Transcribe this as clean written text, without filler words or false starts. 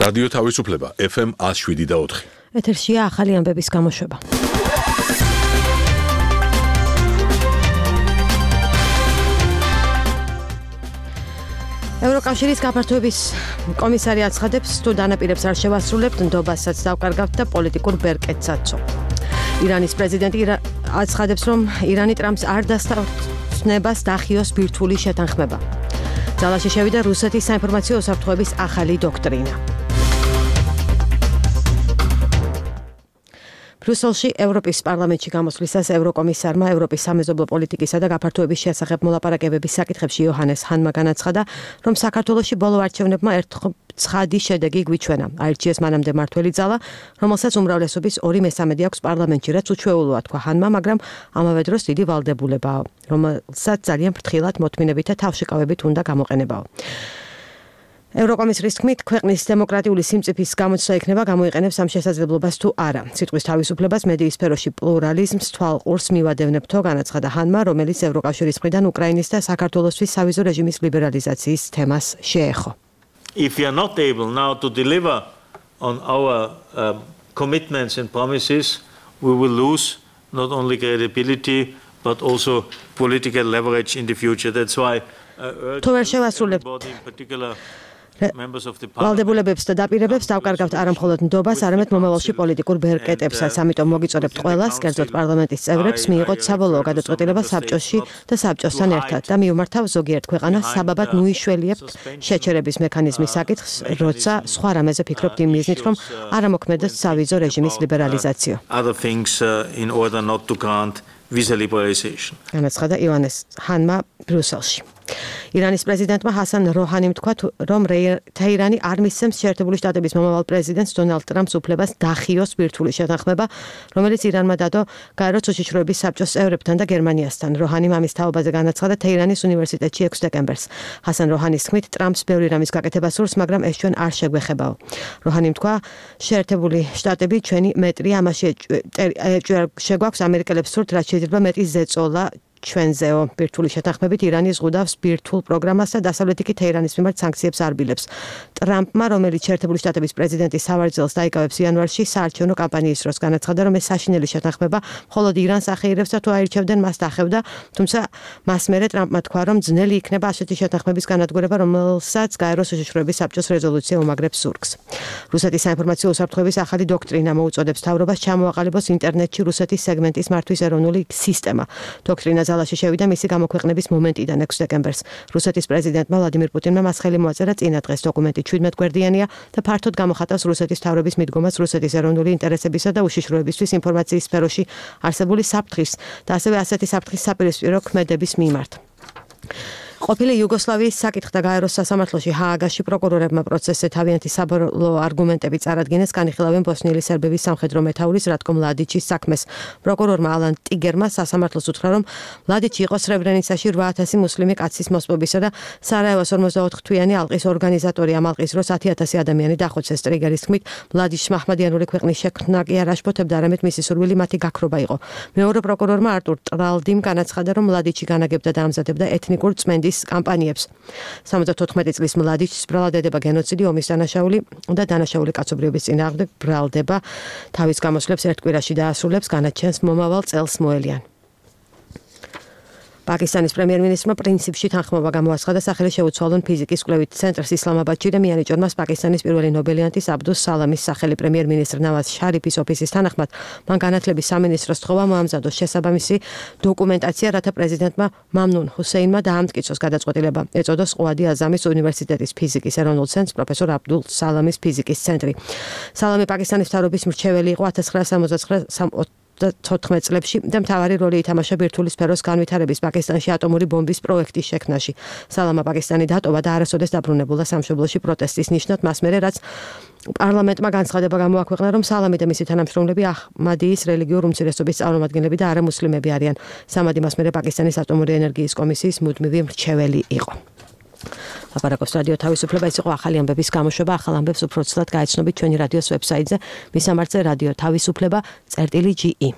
რადიო თავისუფლება FM 107.4. ეთერშია ახალი ამბების გამოშვება. ევროკავშირის გაფართოების კომისარი აცხადებს, თუ დანაპირებს არ შევასრულებთ, ნდობასაც დავკარგავთ და პოლიტიკურ ბერკეტსაც. ირანის პრეზიდენტი აცხადებს, რომ ირანი ტრამპს არ დასწნებას დახიოს ბირთვული შეთანხმება. ძალაში შევიდა რუსეთის საინფორმაციო უსაფრთხოების ახალი დოქტრინა. ბრიუსელში ევროპის პარლამენტში გამოსვლისას ევროკომისარმა ევროპის სამეზობლო პოლიტიკისა და გაფართოების შესახებ მოლაპარაკებების საკითხებში იოჰანეს ჰანმა განაცხადა, რომ საქართველოში ბოლო არჩევნებმა ცხადი შედეგი გვიჩვენა. აირჩიეს მანამდე მმართველი ძალა, რომელსაც უმრავლესობის 2/3 აქვს პარლამენტში, რაც უჩვეულოა, თქვა ჰანმა, მაგრამ ამავე დროს დიდი ვალდებულებაა, რომელსაც ძალიან ფრთხილად მოთმინებით და თავშეკავებით უნდა გამოყენებაო. ევროკომისრის თქმით, ქვეყნის დემოკრატიული სიმწიფის გამოცდა იქნება გამოიყენებს ამ შესაძლებლობას თუ არა. სიტყვის თავისუფლებას მედიის სფეროში პლურალიზმს თვალყურს მივადევნებთო, განაცხადა ჰანმა, რომელიც ევროკავშირის მხრიდან უკრაინის და საქართველოსთვის სავიზო რეჟიმის ლიბერალიზაციის თემას შეეხო. If we are not able now to deliver on our commitments and promises, we will lose not only credibility but also political leverage in the future. That's why ვალდებულებებს და დაპირებებს დავკარგავთ არა მხოლოდ ნდობას, არამედ მომავალში პოლიტიკურ ბერკეტებსაც. ამიტომ მოგიწოდებთ ყველას, კერძოდ პარლამენტის წევრებს, მიიღოთ საბოლოო გადაწყვეტილება საბჭოში და საბჭოსთან ერთად და მიუმართავ ზოგიერთ ქვეყანას საბაბად ნუიშველიებთ შეჩერების მექანიზმის საკითხს, როცა სხვა რამეზე ფიქრობთ იმ მიზნით, რომ არ ამოქმედოს სავიზო რეჟიმის ლიბერალიზაციო. განაცხადა იოჰანეს ჰანმა ბრიუსელში. ირანის პრეზიდენტმა ჰასან როჰანიმ თქვა, რომ თეირანი არ მისცემს შეერთებული შტატების მომავალ პრეზიდენტს დონალდ ტრამპს უფლებას დახიოს ბირთვული შეთანხმება, რომელიც ირანმა დადო გაეროს უშიშროების საბჭოს წევრებთან და გერმანიასთან. როჰანიმ ამის თაობაზე განაცხადა თეირანის უნივერსიტეტში 6 დეკემბერს. ჰასან როჰანის თქმით, ტრამპს ბევრი რამის გაკეთება სურს, მაგრამ ეს ჩვენ არ შეგვეხებაო. როჰანიმ თქვა, შეერთებული შტატები ჩვენი მეტრია, ამაში შეგვაქვს ამერიკელებს სურთ, რაც შეიძლება მეტი ზეწოლა ჩვენზეო. ბირთვული შეთანხმებით ირანი ზღუდავს ბირთვულ პროგრამას და დასავლეთი კი თეირანის მიმართ სანქციებს არბილებს. ტრამპმა, რომელიც შეერთებული შტატების პრეზიდენტის სავარძელს დაიკავებს იანვარში, საარჩევნო კამპანიის დროს განაცხადა, რომ ეს საშინელი შეთანხმება მხოლოდ ირანს ახეირებს და თუ აირჩევდნენ, მას დახევდა, თუმცა მას მერე ტრამპმა თქვა, რომ ძნელი იქნება ასეთი შეთანხმების განადგურება, რომელსაც გაეროს უშიშროების საბჭოს რეზოლუცია უმაგრებს ზურგს. რუსეთის საინფორმაციო უსაფრთხოების ახალი დოქტრინა მოუწოდებს მთავრობას ჩამოაყალიბოს ინტერნეტში რუსეთის სეგმენტის მართვის ეროვნული სისტემა. დოქტრინა ძალაში შევიდა მისი გამოქვეყნების მომენტიდან 6 დეკემბერს. რუსეთის პრეზიდენტმა ვლადიმირ პუტინმა მას ხელი მოაწერა წინა დღეს. დოკუმენტი 17 გვერდიანია და ფართოდ გამოხატავს რუსეთის მთავრობის მიდგომას რუსეთის ეროვნული ინტერესებისა და უშიშროებისთვის ინფორმაციის სფეროში არსებული საფრთხის და ასევე ასეთი საფრთხის საპირისპირო ქმედების მიმართ. ყოფილი იუგოსლავიის საკითხთა გაეროს სასამართლოში ჰააგაში პროკურორებმა პროცესზე თავიანთი საბოლოო არგუმენტები წარადგინეს, განიხილავენ ბოსნიელი სერბების სამხედრო მეთაურის რატკო მლადიჩის საქმეს. პროკურორმა ალან ტიგერმა სასამართლოს უთხრა, რომ მლადიჩი იყო სრებრენიცაში 8000 მუსლიმი კაცის მოსპობისა და სარაევოს 44 თვიანი ალყის ორგანიზატორი. ამ ალყის დროს 10000 ადამიანი დახოცეს. ტრიგერის თქმით, მლადიჩს მაჰმადიანური ქვეყნის შექმნა კი არ აშფოთებდა, არამედ მისი სურვილი მათი გაქრობა იყო. მეორე პროკურორმა არტურ ტრალდიმ განაცხადა, რომ მლადიჩი განაგებდა და ამზადებდა ეთნიკურ წმენდის კამპანიებს. 74 წლის მლადიჩს ბრალად ედება გენოციდი, ომის დანაშაული და დანაშაული კაცობრიობის წინააღმდეგ ბრალდება. თავის გამოსვლებს ერთ კვირაში დაასრულებს, განაჩენს მომავალ წელს მოელიან. პაკისტანის პრემიერ-მინისტრმა პრინციპში თანხმობა გამოაცხადა სახელი შეუცვალონ ფიზიკის კვლევით ცენტრს ისლამაბადში და მიანიჭორმა პაკისტანის პირველი ნობელიანტის აბდუს სალამის სახელი. პრემიერ-მინისტრ ნავაზ შარიფის ოფისის თანახმად, მან განათლების სამინისტროს თხოვა მოამზადოს შესაბამისი დოკუმენტაცია, რათა პრეზიდენტმა მამნუნ ჰუსეინმა დაამტკიცოს გადაწყვეტილება. ეწოდოს ყუადი აზამის უნივერსიტეტის ფიზიკის ეროვნულ ცენტრს პროფესორ აბდულ სალამის ფიზიკის ცენტრი. სალამი პაკისტანის მთავრობის მრჩეველი იყო 1974 წლებში და მთავარი როლი ითამაშა ბირთვული სფეროს განვითარების პაკისტანში ატომური ბომბის პროექტის შექმნაში. სალამა პაკისტანი დატოვა და არასოდეს დაბრუნებულა სამშობლოში პროტესტის ნიშნად, მას მერე რაც პარლამენტმა განცხადება გამოაქვეყნა, რომ სალამი და მისი თანამშრომლები აჰმადიის რელიგიურ უმცირესობის წარმომადგენლები და არამუსლიმები არიან. სამადი მას მერე პაკისტანის ატომური ენერგიის კომისიის მუდმივი მრჩეველი იყო. ლაპარაკობს რადიო თავისუფლება, ეს იყო ახალი ამბების გამოშვება. ახალ ამბებს უფრო ცუდად გაეცნობით ჩვენი რადიოს ვებსაიტზე, მის სამართზე რადიო თავისუფლება.ge